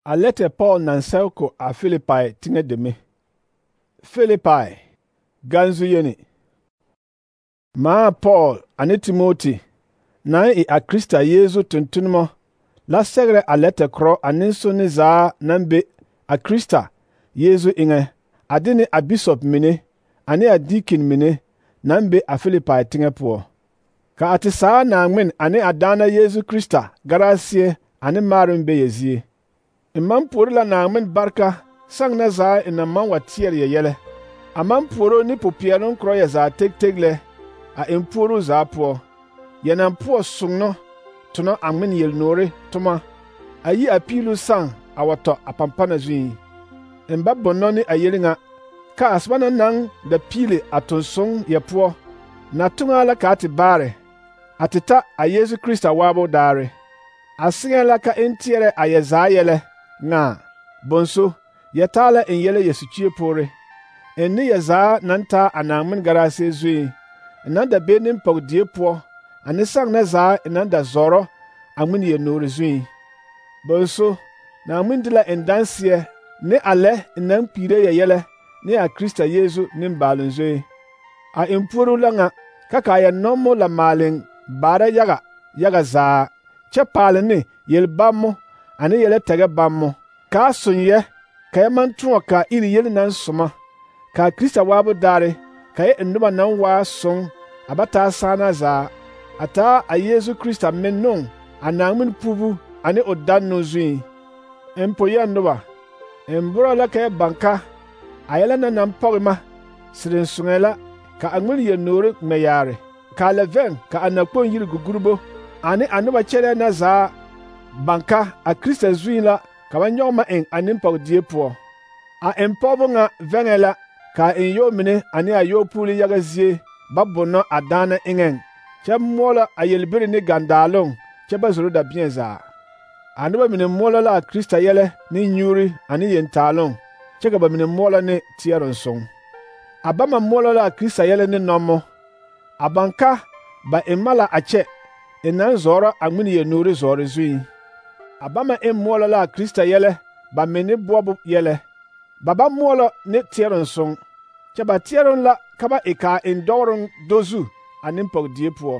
A lɛtɛ Paul naŋ sɛge ko a Filipai teŋɛ deme. Filipai, ganzu yeni. Maa Paul ane Timoti naŋ e a Krista Yesu tontonema la sɛgerɛ a lɛtɛ korɔ a nensonne zaa naŋ be a Krista Yesu eŋɛ, a de ne a bisop mine ane a diikin mine naŋ be a Filipai teŋɛ poɔ. Ka a te saa Naaŋmen ane a Daana Yesu Krista garaseɛ ane maaroŋ be yɛ zie. N maŋ puori la Naaŋmen barka saŋ na zaa n naŋ maŋ wa teɛrɛ yɛ yɛlɛ. A maŋ puoro ne popeɛloŋ korɔ yɛ zaa teg lɛ a eŋ puoruu zaa poɔ. Yɛ naŋ poɔ soŋno tonɔ a ŋmen yelnoore toma a yi a piiluu saŋ a wa tɔ a pampana zuiŋ. N ba bonnɔ ne a yeli ŋa, ka a soba na naŋ da piili a tonsoŋ yɛ poɔ, na toŋaa la ka a te baare, a te ta a Yesu Krista waabo daare. A seŋɛɛ la ka n teɛrɛ a yɛ zaa yɛlɛ ŋaa, bonso, yɛ taa la n yɛlɛ yɛ sukyiyo poore. N ne yɛ zaa naŋ taa a Naaŋmen garaseɛ zuiŋ, n naŋ da be nempɔge-die poɔ, ane saŋ na zaa n naŋ da zɔɔrɔ a ŋmen yelnoore zuiŋ. Bonso, Naaŋmen de la n danseɛ ne a lɛ n naŋ kpiire yɛ yɛlɛ ne a Krista Yesu nimbaaloŋ zoe. A eŋ puoruu la ŋa, ka a yɛ nɔmo la maaleŋ baara yaga yaga zaa, kyɛ paale ne yel-bammo ane yɛlɛ tɛgɛ bammo, ka a soŋ yɛ ka yɛ maŋ tõɔ ka iri yele naŋ soma, ka a Krista waabo daare ka yɛ e noba naŋ waa soŋ a ba taa saana zaa, a taa a Yesu Krista mennoŋ a Naaŋmen puubu ane o dannoo zuiŋ. N po-yɛŋ noba, n borɔ la ka yɛ baŋ ka a yɛlɛ na naŋ pɔge ma sire n soŋɛɛ la ka a ŋmen yelnoore ŋmɛ yaare, ka a lɛ vɛŋ ka a nakpoŋ yiri gugurbo ane a noba kyɛlɛɛ na zaa baŋ ka a Krista zuiŋ la ka ba nyɔge ma eŋ a nempɔge-die poɔ. A eŋ pɔgebɔ ŋa vɛŋɛɛ la ka a eŋ yɔɔ mine ane a yɔɔpuuli yaga zie ba bonnɔ a daana eŋɛŋ, kyɛ moɔlɔ a yelbiri ne gandaaloŋ kyɛ ba zoro dabẽɛ zaa. A noba mine moɔlɔ la a Krista yɛlɛ ne nyuuri ane yentaaloŋ, kyɛ ka ba mine moɔlɔ ne teɛrensoŋ. A bama moɔlɔ la a Krista yɛlɛ ne nɔmo. A baŋ ka ba eŋ ma la a kyɛ n naŋ zɔɔrɔ a ŋmen yelnoore zɔɔre zuiŋ. A bama eŋ moɔlɔ la a Krista yɛlɛ ba menne boɔbo yɛlɛ. Ba ba moɔlɔ ne teɛrensoŋ, kyɛ ba teɛroŋ la ka ba e ka a eŋ dɔɔroŋ do zu a nempɔge-die poɔ.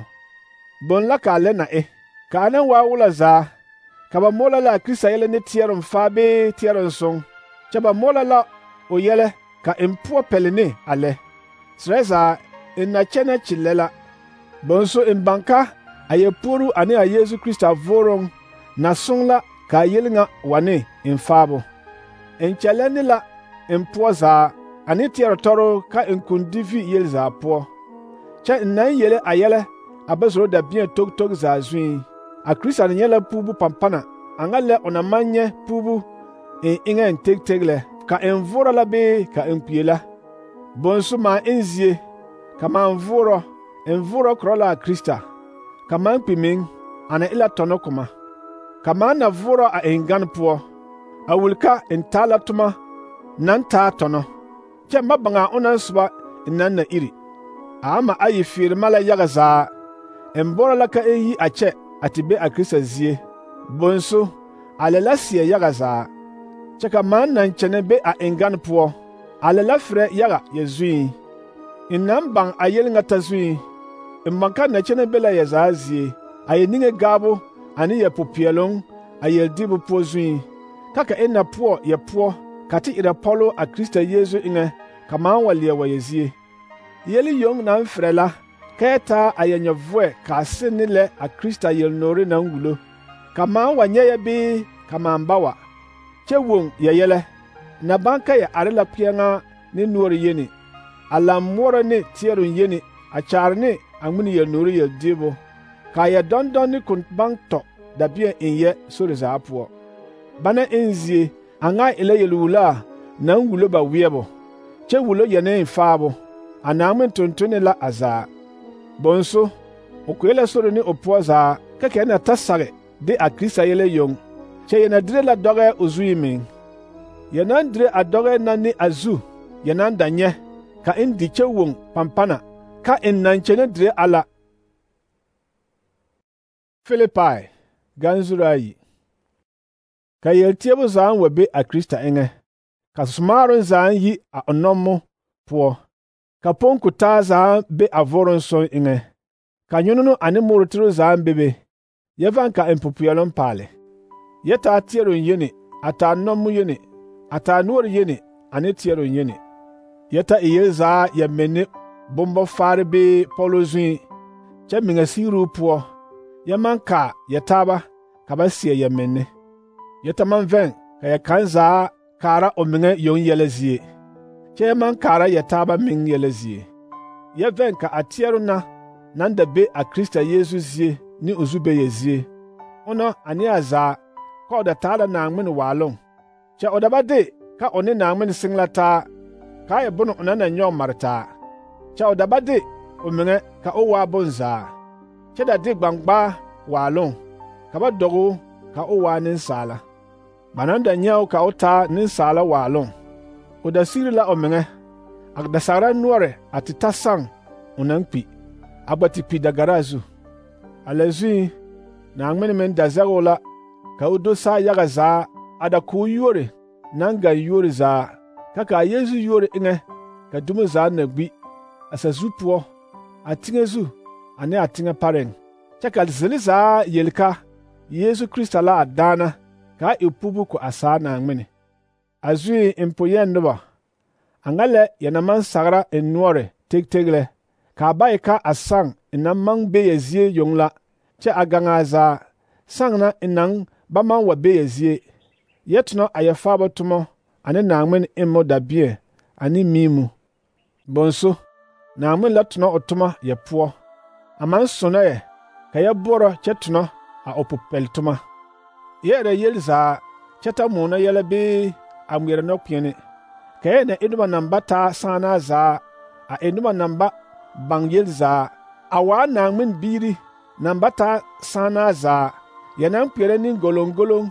Boŋ la ka a lɛ na e. Ka a naŋ waa wola zaa, ka ba moɔlɔ la a Krista yɛlɛ ne teɛroŋ faa bee teɛrensoŋ, kyɛ ba moɔlɔ la o yɛlɛ ka n poɔ pɛle ne a lɛ. Serɛ zaa, n na kyɛnɛ kyellɛ la. Bonso n baŋ ka a yɛ puoruu ane a Yesu Krista vooroŋ na soŋ la ka a yeli ŋa wa ne n faabo. N kyɛllɛ ne la n poɔ zaa ane teɛrɛ tɔroo ka n kuŋ di vi yel zaa poɔ, kyɛ n naŋ yele a yɛlɛ a ba zoro dabẽɛ tog zaa zuiŋ. A Krista na nyɛ la puubu pampana a ŋa lɛ o na maŋ nyɛ puubu n eŋɛŋ teg lɛ, ka n voorɔ la bee ka n kpie la. Bonso maa n zie, ka maa n voorɔ korɔ la a Krista, ka maa kpi meŋ a na e la tɔnɔ koma. Ka maa na voorɔ a eŋ gane poɔ, a wuli ka n taa la toma naŋ taa tɔnɔ, kyɛ ma baŋa a onaŋ soba n naŋ na iri. A ama ayi feere ma la yaga zaa, n bɔrɔ la ka n yi a kyɛ a te be a Krista zie. Bonso, a lɛ la seɛ yaga zaa, kyɛ ka maa naŋ kyɛnɛ be a eŋ gane poɔ, a lɛ la ferɛ yaga yɛ zuiŋ. N naŋ baŋ a yeli ŋa ta zuiŋ, n baŋ ka na kyɛnɛ be la yɛ zaa zie, a yɛ niŋe gaabo ane yɛ popeɛloŋ a yeldiibu poɔ zuiŋ, ka n na poɔ yɛ poɔ ka te erɛ pɔloo a Krista Yesu eŋɛ ka maa wa leɛ wa yɛ zie. Yeli yoŋ naŋ ferɛ la ka yɛ taa a yɛ nyɛvoɛ ka a seŋ ne lɛ a Krista yelnoore naŋ wulo, ka maa wa nyɛ yɛ bee ka maa ba wa, kyɛ woŋ yɛ yɛlɛ, na baŋ ka yɛ are la kpeɛŋaa ne noɔre yeni, a laŋ moɔrɔ ne teɛroŋ yeni a kyaare ne a ŋmen yelnoore yeldiibu, ka a yɛ dɔndɔn ne ko baŋ tɔ dabẽɛ eŋ yɛ sori zaa poɔ. Bana eŋ zie, a ŋa e la yelwulaa naŋ wulo ba weɛbo, kyɛ wulo yɛ ne faabo. A Naaŋmen tontone la a zaa. Bonso, o kpee la sori ne o poɔ zaa ka yɛ na ta sage de a Krista yɛlɛ yoŋ, kyɛ yɛ na dire la dɔgɛ o zuiŋ meŋ. Yɛ naŋ dire a dɔgɛ na ne a zu yɛ naŋ da nyɛ, ka n di kyɛ woŋ pampana, ka n naŋ kyɛnɛ dire a la. Filipai, ganzuru ayi. Ka yelteebo zaaŋ wa be a Krista eŋɛ, ka somaaroŋ zaaŋ yi a o nommo poɔ, ka ponko taa zaaŋ be a voroŋ soŋ eŋɛ, ka nyonono ane murutiro zaaŋ bebe, yɛ vaŋ ka eŋ popeɛloŋ paale. Yɛ taa teɛroŋ yeni, a taa nommo yeni, a taa noɔre yeni ane teɛroŋ yeni. Yɛ ta e yel zaa yɛ menne bombɔ-faare bee pɔlo zuŋ, kyɛ meŋa sigruu poɔ, yɛ maŋ kaa yɛ taaba ka ba seɛ yɛ menne. Yɛ ta maŋ vɛŋ ka yɛ kaŋ zaa kaara o meŋa yoŋ yɛlɛ zie, kyɛ yɛ maŋ kaara yɛ taaba meŋ yɛlɛ zie. Yɛ vɛŋ ka a teɛro na naŋ da be a Krista Yesu zie ne o zubɛyɛ zie, ona ane a zaa ka o da taa la Naaŋmen waaloŋ, kyɛ o da ba de ka o ne Naaŋmen seŋ la taa, kaa e bone o na nyɔge mare taa, kyɛ o da ba de o meŋa ka o waa bonzaa, kyɛ da de gbaŋgbaa waaloŋ ka ba dɔge o ka o waa nensaala. Ba naŋ da nyɛ o ka o taa nensaala waaloŋ, o da sigri la o meŋa, a da sagra noɔre a te ta saŋ o naŋ kpi, a gba te kpi dagaraa zu. A lɛ zuŋ, Naaŋmen meŋ da zɛge o la ka o do saa yaga zaa a da k'o yuori naŋ gaŋ yuori zaa, ka kaa Yesu yuori eŋɛ ka dumo zaa na gbi, a sazu poɔ, a teŋɛ zu ane a teŋɛ pareŋ, kyɛ ka zele zaa yeli ka Yesu Krista la a daana kaa e pubu ko a saa Naaŋmen. A zuŋ n poyɛŋ noba, a ŋa lɛ yɛ na maŋ sagra n noɔre teg lɛ, kaa ba e ka a saŋ n naŋ maŋ be yɛ zie yoŋ la, kyɛ a gaŋaa zaa, saŋ na n naŋ ba maŋ wa be yɛ zie, yɛ tonɔ a yɛ faaba tomɔ ane Naaŋmen emmo dabeɛ ane miimu. Bonso, Naaŋmen la tonɔ o toma yɛ poɔ, a maŋ sonɔ yɛ ka yɛ boɔrɔ kyɛ tonɔ a o popɛl-toma. Yɛ erɛ yel zaa kyɛ ta moonɔ yɛlɛ bee a ŋmeɛrɛ nɔkpeɛne, ka yɛ na e noba naŋ ba taa sããnaa zaa, a e noba naŋ ba baŋ yel zaa, a waa Naaŋmen biiri naŋ ba taa sããnaa zaa, yɛ naŋ kpeɛrɛ ne goloŋgoloŋ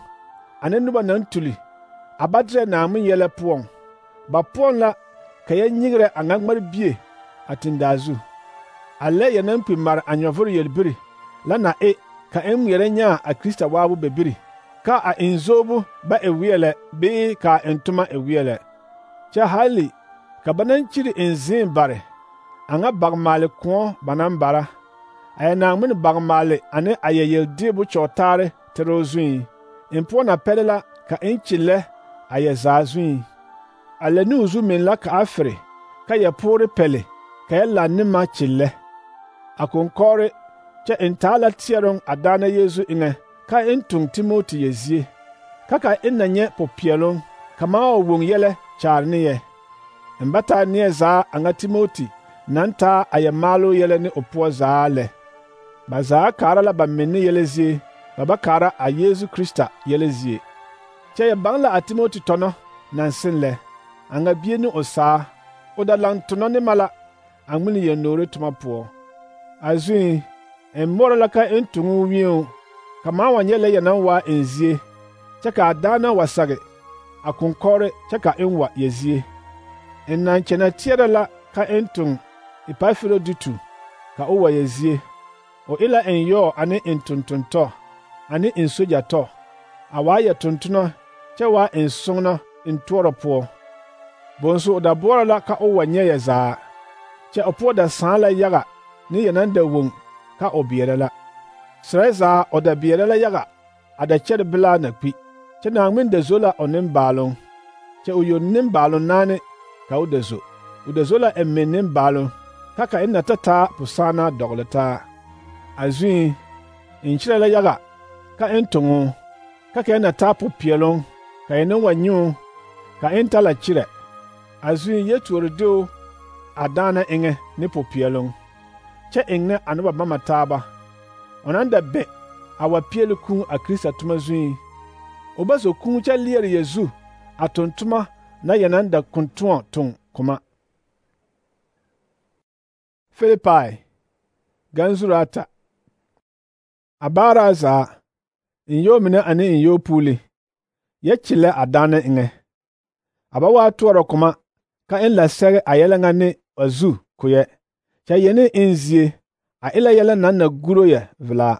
ane noba naŋ tuli a ba derɛ Naaŋmen yɛlɛ poɔŋ. Ba poɔŋ la ka yɛ nyegrɛ a ŋa ŋmarbie a tendaa zu. A lɛ yɛ naŋ kpi mare a nyɔvoro yelbiri la na e ka eŋ ŋmeɛrɛ nyaa a Krista waabo bebiri, ka a eŋ zoobo ba e weɛlɛ bee ka a eŋ toma e weɛlɛ. Kyɛ hali ka ba naŋ kyiri eŋ zẽẽ bare, a ŋa bagmaale kõɔ ba naŋ bara, a yɛ Naaŋmen bagmaale ane a yɛ yeldeebo kyɔɔtaare teroo zuŋ, eŋ poɔ na pɛle la ka eŋ kyellɛ a yɛ zaa zuŋ. A lɛ ne o zu meŋ la ka a fere, ka yɛ poore pɛle ka yɛ laŋ ne ma kyellɛ. A konkɔgere kyɛ eŋ taa la teɛroŋ a daana Yesu eŋɛ, ka eŋ toŋ Timoti yɛ zie, ka ka eŋ na nyɛ popeɛloŋ ka maa wa woŋ yɛlɛ kyaare ne yɛ. Eŋ ba taa neɛ zaa a ŋa Timoti naŋ taa a yɛ maaloo yɛlɛ ne o poɔ zaa lɛ. Ba zaa kaara la ba menne yɛlɛ zie, ba ba kaara a Yesu Krista yɛlɛ zie. Kyɛ yɛ baŋ la a Timoti tɔnɔ naŋ seŋ lɛ, a ŋa bie ne o saa, o da laŋ tonɔ ne ma la a ŋmene yɛn-noore toma poɔ. A zuŋ, n moɔrɔ la ka eŋ toŋ o wĩɛo, ka maa wa nyɛ lɛ yɛ naŋ waa eŋ zie, kyɛ ka a daana wa sage a konkɔgere kyɛ ka eŋ wa yɛ zie. N naŋ kyɛnɛ teɛrɛ la ka eŋ toŋ Epafiroditu ka o wa yɛ zie. O e la n yɔɔ ane n tontontɔ ane n sogyatɔ, a waa yɛ tontonɔ kyɛ waa n soŋnɔ n toɔrɔ poɔ. Bonso o da boɔrɔ la ka o wa nyɛ yɛ zaa, kyɛ o poɔ da sãã la yaga ne yɛ naŋ da woŋ ka o beɛrɛ la. Serɛ zaa o da beɛrɛ la yaga a da kyɛre belaa na kpi, kyɛ Naaŋmen da zo la o nembaaloŋ, kyɛ o yoŋ nembaaloŋ naane ka o da zo. O da zo la n meŋ nembaaloŋ, ka ka eŋ na ta taa posãanaa dɔgele taa. A zuŋ, n kyerɛ la yaga ka eŋ toŋo, ka ka eŋ na taa popeɛloŋ, ka eŋ ne wa nyɛ o, ka eŋ ta la kyerɛ. A zuŋ yɛ tuori de o a daana eŋɛ ne popeɛloŋ, kyɛ eŋ ne a noba bama taaba, o naŋ da bɛ a wa peɛle kũũ a Krista toma zuŋ. O ba zo kũũ kyɛ leɛre yɛ zu a toŋ toma na yɛ naŋ da kontoɔ toŋ koma. Filipai, ganzuro ata. A baaraa zaa, n yɔɔ mine ane n yɔɔ puuli, yɛ kyellɛ a daana eŋɛ. A ba waa toɔrɔ koma ka eŋ la sɛge a yɛlɛ ŋa ne a zu koyɛ, kyɛ yɛne eŋ zie, a e la yɛlɛ naŋ na guro yɛ velaa.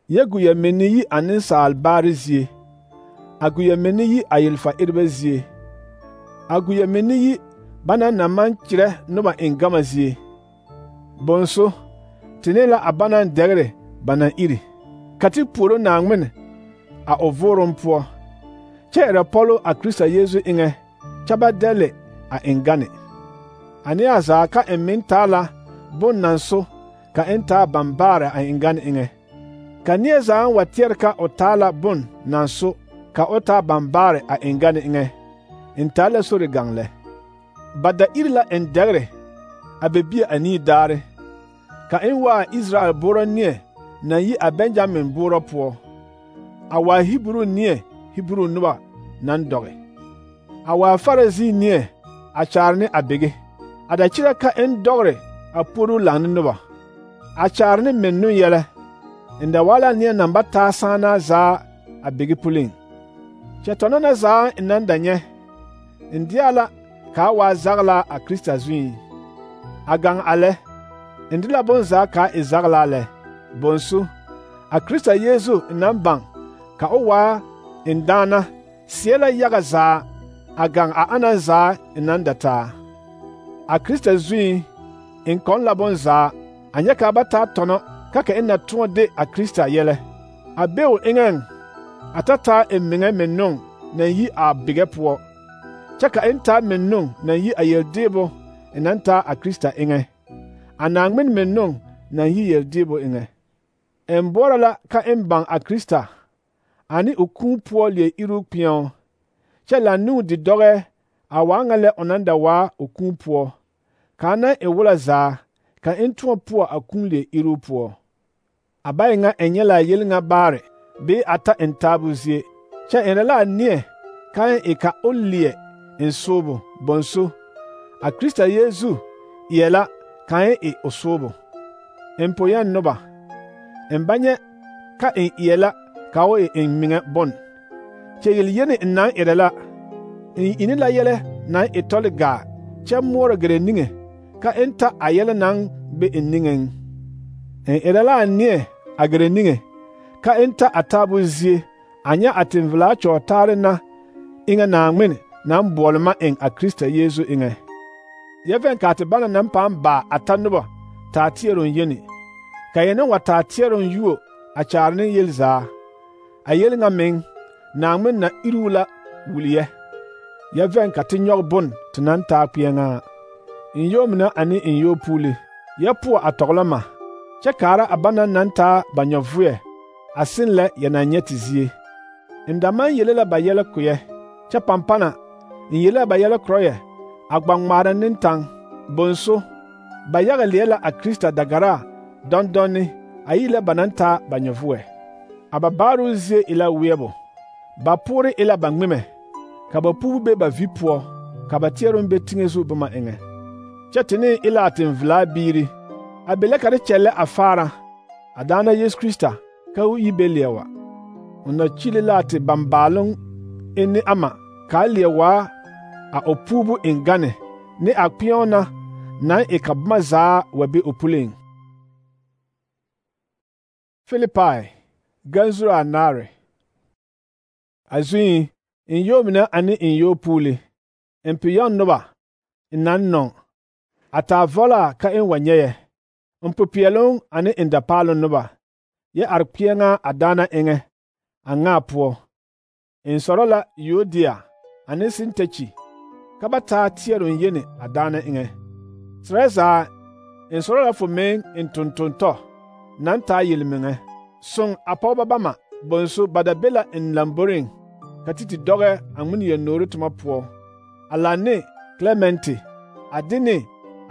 Yɛ gu yɛ menne yi a nensaal baare zie, a gu menne yi a yelfa ereba zie, a gu menne yi bana na maŋ kyerɛ noba eŋ gama zie. Bonso, tene la a banaŋ dɛgre ba naŋ iri, ka te puoro Naaŋmen a o vooroŋ poɔ, kyɛ erɛ pɔlo a Krista Yesu eŋɛ kyɛ ba dɛle a eŋ gane. A neɛ zaa ka eŋ meŋ taa la bon naŋ so ka eŋ taa bambaare a eŋ gane eŋɛ. Ka neɛ zaa wa teɛre ka o taa la bon naŋ so ka o taa bambaare a eŋ gane eŋɛ, eŋ taa la sori gaŋ lɛ. Ba da iri la eŋ dɛgre a be bie anii daare, ka eŋ waa Israel boorɔ neɛ naŋ yi a Benjamin boorɔ poɔ, a waa Hebru neɛ Hebru noba naŋ dɔge, a waa Farisi neɛ a kyaare ne a bege, a da kyerɛ ka eŋ dɔgre a puoru laŋ ne noba, a kyaare ne mennun yɛlɛ, eŋ da waa la neɛ naŋ ba taa sããnaa zaa a bege puliŋ. Kyɛ tɔnɔ na zaa eŋ naŋ da nyɛ, eŋ deɛ la kaa waa zaglaa a Krista zuiŋ. A gaŋ a lɛ, eŋ de la bonzaa kaa e zaglaa lɛ. Bonso, a Krista Yesu naŋ baŋ ka o waa eŋ daana seɛ la yaga zaa a gaŋ a anaŋ zaa eŋ naŋ da taa. A Krista zuiŋ eŋ kɔŋ la bonzaa, a nyɛ kaa ba taa tɔnɔ ka ka eŋ na tõɔ de a Krista yɛlɛ. A be o eŋɛŋ a ta taa eŋ meŋɛ mennun naŋ yi a bigɛ poɔ, kyɛ ka eŋ taa mennun naŋ yi a yeldeebo eŋ naŋ taa a Krista eŋɛ, a Naaŋmen mennun naŋ yi yeldeebo eŋɛ. Eŋ boɔrɔ la ka eŋ baŋ a Krista ane o kūū poɔ leɛ iruu kpeɛo, kyɛ laŋnuu di dɔgɛ a waa ŋa lɛ o naŋ da waa o kūū poɔ, kaa naŋ e wola zaa ka eŋ tõɔ poɔ a kūū leɛ iruu poɔ. A ba e ŋa eŋ nyɛ la a yel ŋa baare bee a ta eŋ taabo zie, kyɛ erɛ la a neɛ ka eŋ e ka o leɛ eŋ soobo. Bonso, a Krista Yesu eɛ la ka eŋ e o soobo. Eŋ po yɛŋ noba, eŋ ba nyɛ ka eŋ eɛ la ka o e eŋ meŋɛ bon. Kyɛ yel-yeni eŋ naŋ erɛ la, eŋ ini la yɛlɛ naŋ e tɔle gaa kyɛ moɔrɔ gɛrɛ niŋe ka eŋ ta a yɛlɛ naŋ be eŋ niŋeŋ. Eŋ erɛ la a neɛ a gɛrɛ niŋe ka eŋ ta a taabo zie a nyɛ a tenvelaa kyɔɔtaare na eŋɛ Naaŋmen naŋ boɔle ma eŋ a Krista Yesu eŋɛ. Yɛ vɛŋ kaa te bana naŋ pãã baa a ta noba taa teɛroŋ yeni, ka yɛ naŋ wa taa teɛroŋ yuo a kyaare ne yel zaa. A yel ŋa meŋ, Naaŋmen na iruu la wuliyɛ. Yɛ vɛŋ ka te nyɔge bon te naŋ taa kpeɛŋaa. Eŋ yoo mine ane eŋ yoo puuli, yɛ poɔ a tɔglɔ ma, kyɛ kaara a bana naŋ taa ba nyɔvʋɛ a seŋ lɛ yɛ naŋ nyɛ te zie. Eŋ da maŋ yele la ba yɛlɛ koyɛ, kyɛ pampana eŋ yele la ba yɛlɛ korɔ yɛ a gba ŋmaara ne taŋ. Bonso, ba yaga leɛ la a Krista dagaraa dɔndɔnne a yi lɛ ba naŋ taa ba nyɔvʋɛ. A ba baaroo zie e la weɛbo, ba poore e la ba ŋmemɛ, ka ba puubu be ba vi poɔ, ka ba teɛroŋ be teŋɛ zu boma eŋɛ. Kyɛ te ne e la a tenvelaa biiri, a be la ka te kyɛllɛ a faara a daana Yesu Krista ka o yi be leɛ wa. O na kyili la a te bambaaloŋ enne ama kaa leɛ waa a o puubu eŋ gane ne a kpeɛo na naŋ e ka boma zaa wa be o puliŋ. Filipai, ganzuro anaare. A zuiŋ, eŋ yoo mine ane eŋ yoo puuli, eŋ pe yɔŋ noba eŋ naŋ nɔŋ, a taa vɔlaa ka eŋ wa nyɛyɛ, eŋ popeɛloŋ ane eŋ dapaaloŋ noba, yɛ are kpeɛŋaa a daana eŋɛ, a ŋaa poɔ. Eŋ sɔrɔ la Yuodia ane Sintɛkyi ka ba taa teɛroŋ yeni a daana eŋɛ. Serɛ zaa, eŋ sɔrɔ la fo meŋ eŋ tontontɔ naŋ taa yelmeŋɛ. Soŋ a pɔgeba bama, bonso ba da be la eŋ lamboriŋ ka te dɔgɛ a ŋmene yel-noore toma poɔ, a laŋ ne Klementi, a de ne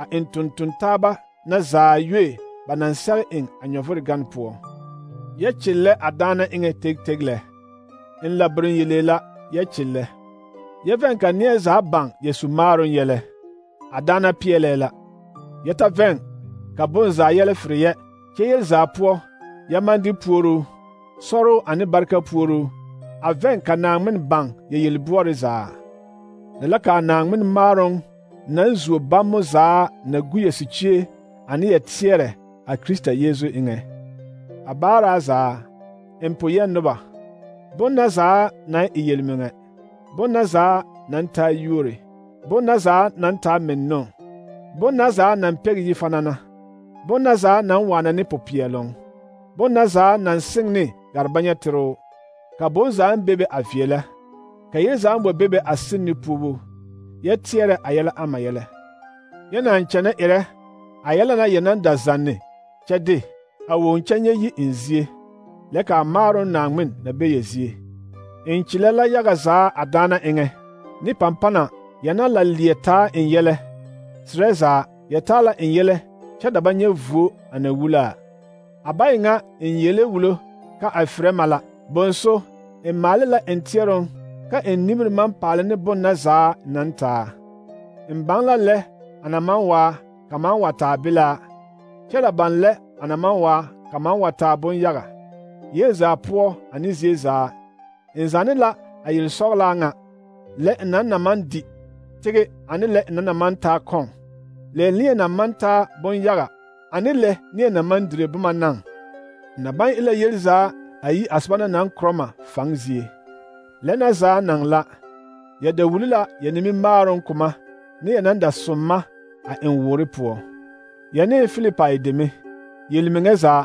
a eŋ tontontaaba na zaa yue ba naŋ sɛge eŋ a nyɔvore gane poɔ. Yɛ kyellɛ a daana eŋɛ teg lɛ. Eŋ labirin yelee la, yɛ kyellɛ. Yɛ vɛŋ ka neɛ zaa baŋ yɛ su maaroŋ yɛlɛ. A daana peɛlɛɛ la. Yɛ ta vɛŋ ka bonzaa yɛlɛ fere yɛ, kyɛ yel zaa poɔ, yɛ maŋ de puoruu, sɔroo ane barika puoruu. A vɛŋ ka Naaŋmen baŋ yɛ yel-boɔre zaa. Lɛ la kaa Naaŋmen maaroŋ naŋ zuo bammo zaa na gu yɛ sikyie ane yɛ teɛrɛ a Krista Yesu eŋɛ. A baaraa zaa, eŋ po yɛŋ noba, bon na zaa naŋ e yelmeŋɛ, bon na zaa naŋ taa yuore, bon na zaa naŋ taa mennoo, bon na zaa naŋ pɛge yi fanana, bon na zaa naŋ waana ne popeɛloŋ, bon na zaa naŋ seŋ ne garbanyɛteroo, ka bon zaaŋ bebe a veɛlɛ, ka yel zaaŋ wa bebe a seŋ ne puubu, yɛ teɛrɛ a yɛlɛ ama yɛlɛ. Yɛ naŋ kyɛnɛ erɛ a yɛlɛ na yɛ naŋ da zanne kyɛ de a woŋ kyɛ nyɛ yi eŋ zie, lɛ ka a maaroŋ Naaŋmen na be yɛ zie. Eŋkyelɛ la yaga zaa a daana eŋɛ, ne pampana yɛ na la leɛ taa eŋ yɛlɛ, serɛ zaa yɛ taa la eŋ yɛlɛ kyɛ da ba nyɛ vuo a na wulaa. A ba e ŋa eŋ yele wulo ka a ferɛ ma la, bonso eŋ maale la eŋ teɛroŋ ka eŋ nimiri maŋ paale ne bon na zaa naŋ taa. Eŋ baŋ la lɛ a na maŋ waa ka maŋ wa taa bilaa, kyɛ la baŋ lɛ a na maŋ waa ka maŋ wa taa bon-yaga, yel zaa poɔ ane zie zaa. Eŋ zanne la a yel-sɔgelaa ŋa, lɛ eŋ naŋ na maŋ di tege ane lɛ eŋ naŋ na maŋ taa kɔŋ, lɛ neɛ naŋ maŋ taa bon-yaga ane lɛ neɛ naŋ maŋ dire boma naŋ. Na baŋ e la yel zaa a yi a soba na naŋ korɔ ma faŋ zie. Lɛ na zaa naŋ la, yɛ da wuli la yɛ nimimaaroŋ koma ne yɛ naŋ da som ma a eŋ woore poɔ. Yɛ ne Filipai deme, yelmeŋɛ zaa,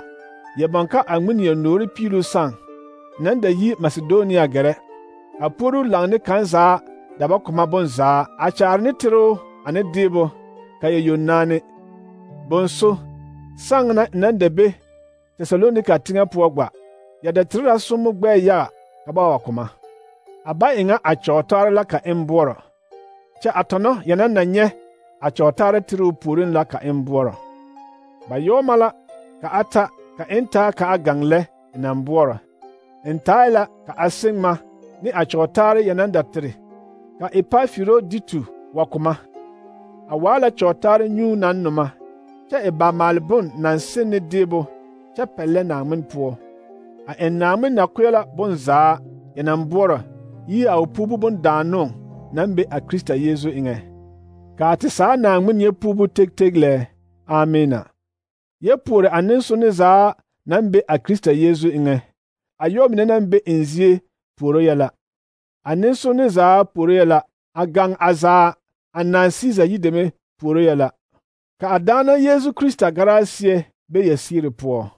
yɛ baŋ ka a ŋmene yɛ noore piiluu sãã, naŋ da yi Masedonia gɛrɛ, a puoruu laŋ ne kaŋ zaa da ba koma bonzaa, a kyaare ne teroo ane deebo, ka yɛ yonnaane. Bonso, sãŋ na naŋ da be Tesalonika teŋɛ poɔ gba, yɛ da tere la sommo gbɛɛ yaga ka ba wa koma. A ba e ŋa a kyɔɔtaare la ka eŋ boɔrɔ, kyɛ a tɔnɔ yɛ na nyɛ a kyɔɔtaare teroo puoriŋ la ka eŋ boɔrɔ. Ba yɔɔma la ka a ta ka eŋ taa ka a gaŋ lɛ e naŋ boɔrɔ. Eŋ taae la ka a seŋ ma ne a kyɔɔtaare yɛ naŋ da tere ka Epafiroditu wa koma. A waa la kyɔɔtaare nyuu naŋ noma, kyɛ e ba maale bon naŋ seŋ ne deebo kyɛ pɛllɛ Naaŋmen poɔ. A eŋ Naaŋmen nakoɛ la bonzaa yɛ naŋ boɔrɔ yi a o puubu bondaannoŋ naŋ be a Krista Yeezu eŋɛ. Kaa te saa Naaŋmen nyɛ puubu teg lɛ. Amiina. Yɛ puore a nensonne zaa naŋ be a Krista Yeezu eŋɛ. A yɔ mine naŋ be eŋ zie puoro yɛ la. A nensonne zaa puoro yɛ la. A gaŋ a zaa a naaŋ Siisa yideme puoro yɛ la. Ka a daana Yeezu Krista garaa seɛ be yɛ siiri poɔ.